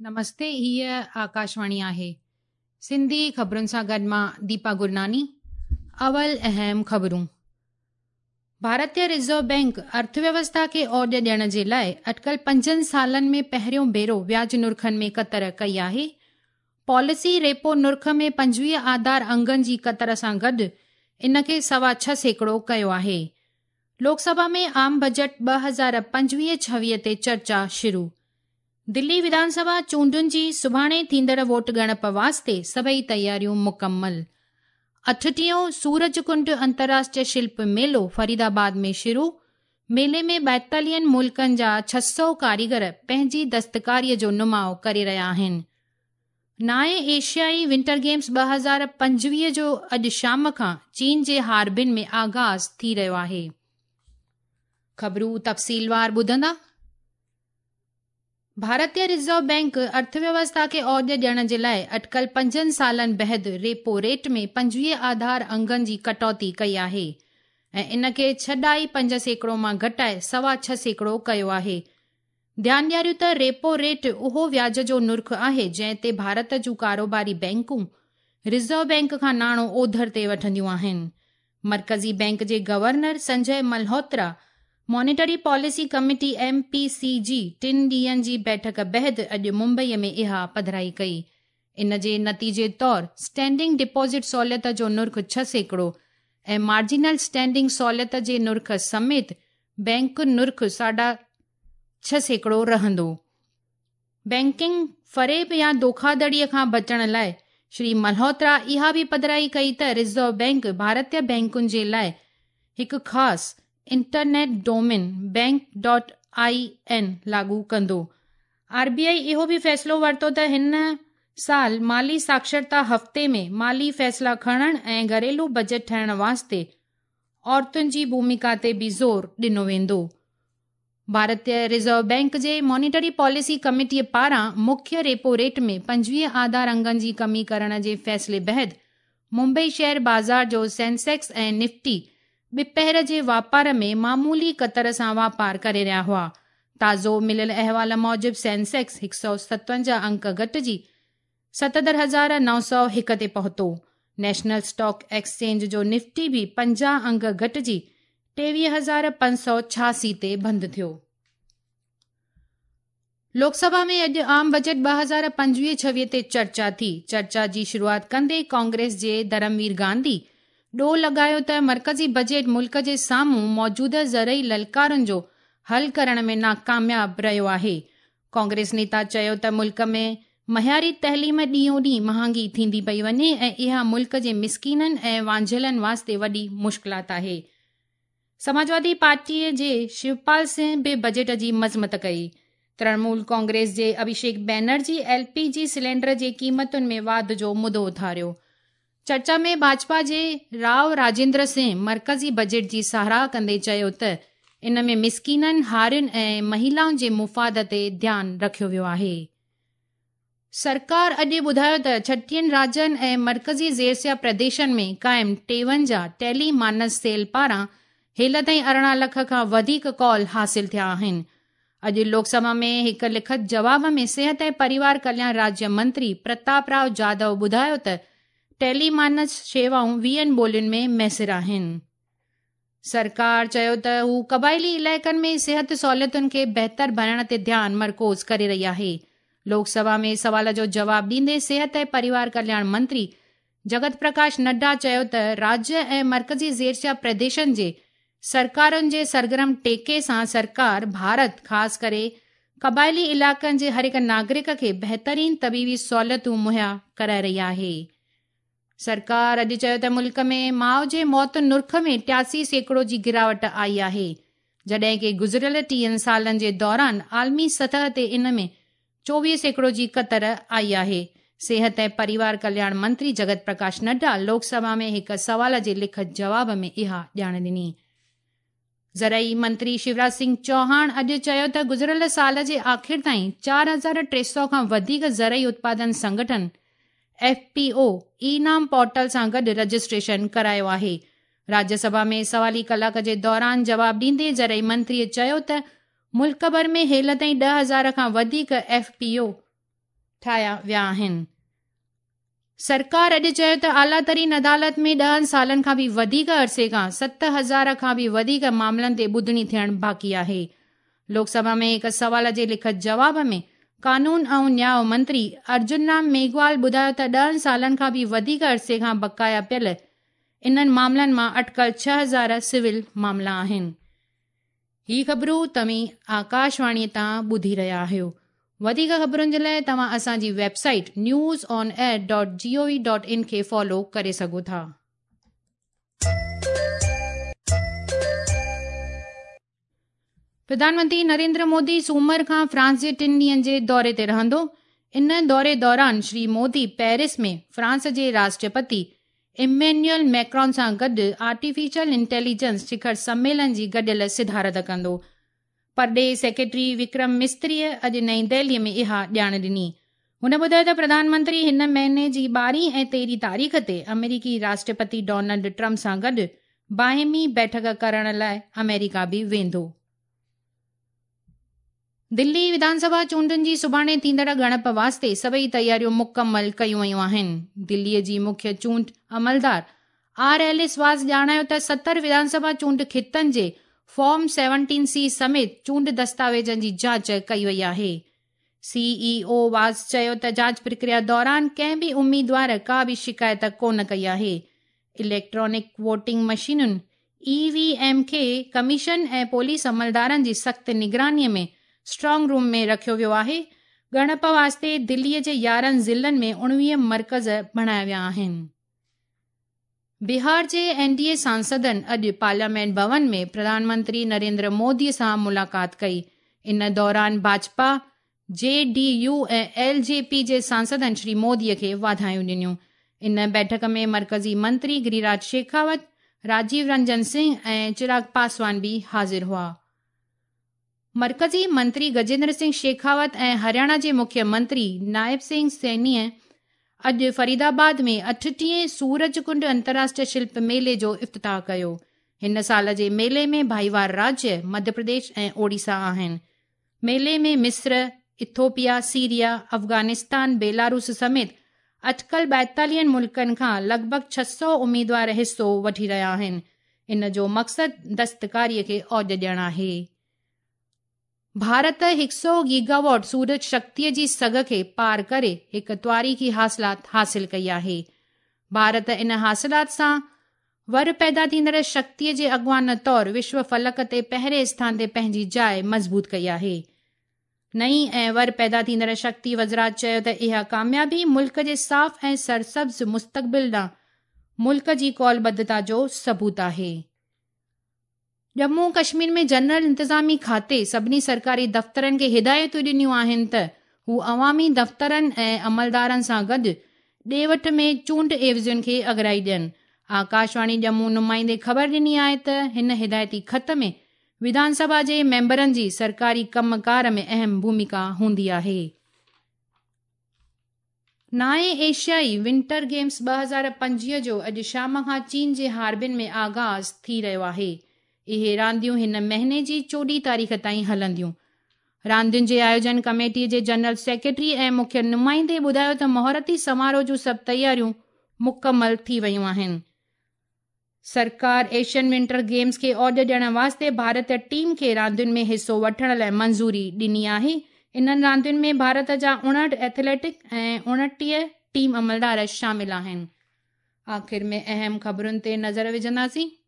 نمستي هيء آڪاشواڻي آهي. سنڌي خبرن سان گڏ مان ديپا گرناني. اول اهم خبرون. ڀارتي رزرو بينڪ ارٿويوسٿا کي اوڏ ڏيڻ جي لاء اٽڪل 5 سالن ۾ پهريون ڀيرو وياج نرخن ۾ ڪتر ڪئي آهي. پاليسي ريپو نرخ ۾ 25 آڌار انگن جي ڪتر سان گڏ ان کي 6.25% ڪيو آهي. لوڪ سڀا ۾ عام بجيٽ 2025-26 تي چرچا شروع. دلي وڌان سڀا چونڊن جي سڀاڻي ٿيندڙ ووٽ ڳڻپ واسطي سڀئي تياريون مڪمل. 38ون سورج ڪنڊ انترراشٽريه شلپ ميلو فريدآباد ۾ شروع، ميلي ۾ 42 ملڪن جا 600 ڪاريگر پنهنجي دستڪاريء جو نماء ڪري رهيا آهن. نائين ايشيائي ونٽر گيمز 2025 جو اڄ شام کان چين جي هاربن ۾ آغاز ٿي رهيو آهي. خبرون تفصيلوار ٻڌندا. ڀارتي رزرو بينڪ ارٿويوسٿا کي اوڄ ڏيڻ جي لاء اٽڪل 5 سالن بعد ريپو ريٽ ۾ 25 آڌار انگن جي ڪٽوتي ڪئي آهي ۽ ان کي 6.5% مان گهٽائي 6.25% ڪيو آهي. ڌيان ڏياريون ته ريپو ريٽ اهو وياج جو نرخ آهي جنهن تي ڀارت جون ڪاروباري بينڪون رزرو بينڪ کان ناڻو اوڌر تي وٺنديون آهن. مرڪزي بينڪ جي governor Sanjay Malhotra monetary policy committee M P C جي 3 ڏينهن جي بيٺڪ بعد اڄ ممبئي ۾ اها پڌرائي ڪئي. ان جي نتيجي طور اسٽينڊنگ ڊپازٽ سهوليت جو نرخ 6% ۽ مارجنل اسٽينڊنگ سهوليت جي نرخ سميت بينڪ نرخ 6.5% رهندو. بينڪنگ فريب يا ڌوکاڌڙيء کان بچڻ لاء شري ملهوترا اها به پڌرائي ڪئي ته رزرو بينڪ ڀارتي بينڪن جي لاء هڪ خاص internet domain bank dot I N لاڳو ڪندو. آر بي آء اهو به فيصلو ورتو ته هن سال مالي ساڪشرتا هفتي ۾ مالي فيصلا کڻڻ ۽ گهريلو بجيٽ ٺاهڻ واسطي عورتن جي ڀوميڪا تي به زور ڏنو ويندو. ڀارتي رزرو بينڪ جي مانيٽري پاليسي ڪميٽيء پاران مکيه ريپو ريٽ ۾ 25 آڌار انگن جي ڪمي ڪرڻ جي فيصلي بعد ممبئي شيئر بازار جو سينسيڪس ۽ نفٽي ٻپهر جي واپار ۾ معمولي ڪتر سان واپار ڪري رهيا هئا. تازو مليل احوال موجب سينسيڪس 157 انڪ گهٽجي 77,901 تي پهتو. نيشنل اسٽاڪ ايڪسچينج جو نفٽي به 50 انگ گهٽجي 23,586 تي بند ٿيو. لوڪ سڀا ۾ اڄ عام بجيٽ 2025-26 تي چرچا ٿي. چرچا جي شروعات ڪندي ڪانگريس جي ڌرموير گانڌي ڏوهه لڳايو ته مرڪزي بجيٽ ملڪ جي سامهون موجوده زرعي للڪارن جو حل ڪرڻ ۾ ناڪامياب رهيو آهي. ڪانگريس نيتا چيو ته ملڪ ۾ معياري تعليم ڏينهون ڏينهن مهانگي ٿيندي پئي وڃي ۽ اها ملڪ جي مسڪينن ۽ وانجهيلن واسطي وڏي مشڪلات آهي. سماجوادي پارٽيء جي شوپال سنگهه به بجيٽ جي مذمت ڪئي. ترڻمول ڪانگريس جي Abhishek Banerjee L P G cylinder جي قيمتن ۾ واڌ جو مدو اٿاريو. چرچا ۾ ڀاجپا جي رائو راجيندر سنگهه مرڪزي بجيٽ جي ساراهه ڪندي چيو ته ان ۾ مسڪينن، هارين ۽ مهيلائن جي مفاد تي ڌيان رکيو ويو آهي. سرڪار اڄ ٻڌايو ته 36 راجين ۽ مرڪزي زيرسيا پرديشن ۾ قائم 53 ٽيلي مانس سيل پاران هيل تائين 18 لک کان وڌيڪ ڪال حاصل ٿيا آهن. اڄ لوڪ سڀا ۾ هڪ لکت جواب ۾ صحت ۽ پريوار ڪلياڻ راجيه منتري پرتاپ رائو جادو ٻڌايو ته ٽيلي مانس شيوائون 20 ٻولين ۾ ميسر آهن. سرڪار چيو ته هو قبائلي علائقن ۾ صحت سهولتن کي بهتر بڻائڻ تي ڌيان مرڪوز ڪري رهي آهي. لوڪ سڀا ۾ سوال جو جواب ڏيندي صحت ۽ پريوار ڪلياڻ منتري جگت پرڪاش نڊا چيو ته راجيه ۽ مرڪزي زيرسيا پرديشن جي سرڪارن جي سرگرم ٽيڪي سان سرڪار ڀارت خاص ڪري قبائلي علائقن جي هر هڪ ناگرڪ کي بهترين طبيبي سهولتون مهيا ڪرائي رهي آهي. سرڪار اڄ چيو ته ملڪ ۾ ماء جي موت نرخ ۾ 83% جي گراوٽ آئي آهي، جڏهن ڪي گذريل 30 سالن جي دوران عالمي سطح تي ان ۾ 24% جي ڪتر آئي آهي. صحت ۽ پريوار ڪلياڻ منتري جگت پرڪاش نڊا لوڪ سڀا ۾ هڪ سوال جي لکت جواب ۾ اها ڄاڻ ڏني. زرعي منتري شيوراج سنگهه چوهاڻ اڄ چيو ته گذريل سال جي آخر تائين 4300 کان وڌيڪ زرعي اتپادن سنگٺن ايف پي او اي نام پورٽل سان گڏ رجسٽريشن ڪرايو آهي. راجيه سڀا ۾ سوالي ڪلاڪ جي دوران جواب ڏيندي زرعي منتري چيو ته ملڪ ڀر ۾ هيل تائين 10,000 کان وڌيڪ ايف پي او ٺاهيا ويا آهن. سرڪار اڄ چيو ته اعليٰ ترين عدالت ۾ ڏهن سالن کان به وڌيڪ عرصي کان 7000 کان به وڌيڪ معاملن تي ٻڌڻي ٿيڻ باقي آهي. لوڪ سڀا ۾ هڪ سوال جي لکت جواب ۾ قانون ۽ نياء منتري ارجن رام ميگهوال ٻڌايو ته ڏهن سالن کان به وڌيڪ عرصي کان بقايا پيل انهن معاملن مان اٽڪل 6000 سول معاملا آهن. هي خبرون توهين آڪاشواڻيء تان ٻڌي رهيا آهيو. وڌيڪ خبرن جي لاء توهان اسان جي website news on air dot G O V dot in کي فالو ڪري سگهو ٿا. پرڌان منتري نريندر مودي سومر کان فرانس جي ٽن ڏينهن جي دوري تي رهندو. ان دوري دوران شري مودي پيرس ۾ فرانس جي راشٽرپتي ايمينيول ميڪرون سان گڏ آرٽيفيشل انٽيليجنس شکر سميلن جي گڏيل صدارت ڪندو. پرڏيهي سيڪريٽري وڪرم مستريء اڄ نئين دهليء ۾ اها ڄاڻ ڏني. هن ٻڌايو ته پرڌان منتري هن مهيني جي ٻارهين ۽ تيرهين تاريخ تي آمريڪي راشٽرپتي ڊونلڊ ٽرمپ سان گڏ باهمي بيٺڪ ڪرڻ لاء آمريڪا به ويندو. دلي وڌان سڀا چونڊن جي سڀاڻي ٿيندڙ ڳڻپ واسطي سڀئي تياريون مڪمل ڪيون ويون آهن. دلي جي مکيه چونڊ عملدار آر ايل ايس واس ڄاڻايو ته 70 وڌان سڀا چونڊ خطن جي فارم سيونٽين سي سميت چونڊ دستاويزن جي جاچ ڪئي وئي آهي. سي اي او واس چيو ته جاچ پرڪريا دوران ڪنهن به اميدوار ڪا به شڪايت ڪونه ڪئي آهي. اليڪٽرانڪ ووٽنگ مشينن، اي وي ايم، کي ڪميشن ۽ پوليس عملدارن جي سخت نگراني ۾ اسٽرانگ روم ۾ رکيو ويو آهي. ڳڻپ واسطي دلي جي 11 ضلعن ۾ 19 مرڪز بڻايا ويا آهن. بهار جي اين ڊي اي سانسدن اڄ پارليامينٽ ڀون ۾ پرڌان منتري نريندر مودي سان ملاقات ڪئي. ان دوران ڀاجپا، جي ڊي يو ۽ ايل جي پي جي سانسدن شري مودي کي واڌايون ڏنيون. ان بيٺڪ ۾ مرڪزي منتري گريراج شيخاوت، راجيو رنجن سنگهه ۽ چراغ پاسوان به حاضر هئا. مرڪزي منتري گجيندر سنگهه شيخاوت ۽ هرياڻا جي مکيه منتري نائب سنگهه سينيء اڄ فريدآباد ۾ 38 سورج ڪنڊ انترراشٽريه شلپ ميلي جو افتتاح ڪيو. هن سال جي ميلي ۾ ڀائيوار راجيه مڌيه پرديش ۽ اوڙيسا آهن. ميلي ۾ مصر، ايٿوپيا، سيريا، افغانستان، بيلاروس سميت اٽڪل 42 ملڪن کان لڳ ڀڳ 600 اميدوار حصو وٺي رهيا آهن. ان جو مقصد دستڪاري کي اوج ڏيڻ آهي. ڀارت 100 گيگاواٽ سورج شڪتيء جي سگهه کي پار ڪري هڪ تواريخي حاصلات حاصل ڪئي آهي. ڀارت ان حاصلات سان ور پيدا ٿيندڙ شڪتيء جي اڳواڻ طور وشو فلڪ تي پهرين اسٿان تي پنهنجي جاء مضبوط ڪئي آهي. نئين ۽ ور پيدا ٿيندڙ شڪتي وزارت چيو ته اها ڪاميابي ملڪ جي صاف ۽ سرسبز مستقبل ڏانهن ملڪ جي قولبڌتا جو ثبوت آهي. ڄمون ڪشمير ۾ جنرل انتظامي کاتي سڀني سرڪاري دفترن کي هدايتون ڏنيون آهن ته هو عوامي دفترن ۽ عملدارن سان گڏ ڏي وٺ ۾ چونڊ عيوضين کي اڳرائي ڏين. آڪاشواڻي ڄمون نمائندي خبر ڏني آهي ته هن هدايتي خط ۾ وڌان سڀا جي ميمبرن جي سرڪاري ڪم ڪار ۾ اهم ڀوميڪا هوندي آهي. نائين ايشيائي ونٽر گيمز 2025 جو اڄ شام کان چين جي هاربن ۾ آغاز ٿي رهيو آهي. اهي رانديون هن مهيني جي 14 تاريخ تائين هلنديون. راندين جي آيوجن ڪميٽي جي جنرل سيڪريٽري ۽ مکيه نمائندي ٻڌايو ته مهورتي سماروهه جون سڀ تياريون مڪمل ٿي ويون آهن. سرڪار ايشين ونٽر گيمز کي اوج ڏيڻ واسطي ڀارتي ٽيم کي راندين ۾ حصو وٺڻ لاء منظوري ڏني آهي. انهن راندين ۾ ڀارت جا 59 ايٿليٽڪ ۽ 29 ٽيم عملدار شامل آهن. آخر ۾ اهم خبرن تي نظر وجهنداسين.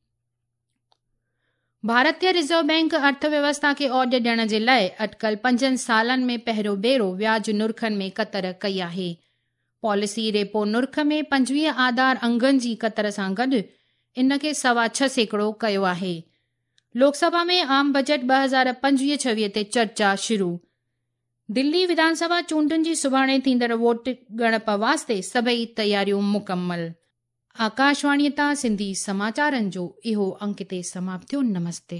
ڀارتي رزرو بئنڪ ارٿ ويوسٿا کي اوج ڏيڻ جي لاء اٽڪل 5 سالن ۾ پهريون ڀيرو وياج نرخن ۾ ڪتر ڪئي آهي. پاليسي ريپو نرخ ۾ 25 آڌار انگن جي ڪتر سان گڏ ان کي 6.25% ڪيو آهي. لوڪ سڀا ۾ عام بجيٽ 2025-26 تي چرچا شروع. دلي وڌان سڀا چونڊن جي سڀاڻي ٿيندڙ ووٽ ڳڻپ واسطي سڀئي تياريون مڪمل. آڪاشواڻيء تان سنڌي سماچارن جو اهو انڪ هتي سماپت ٿيو. نمستي.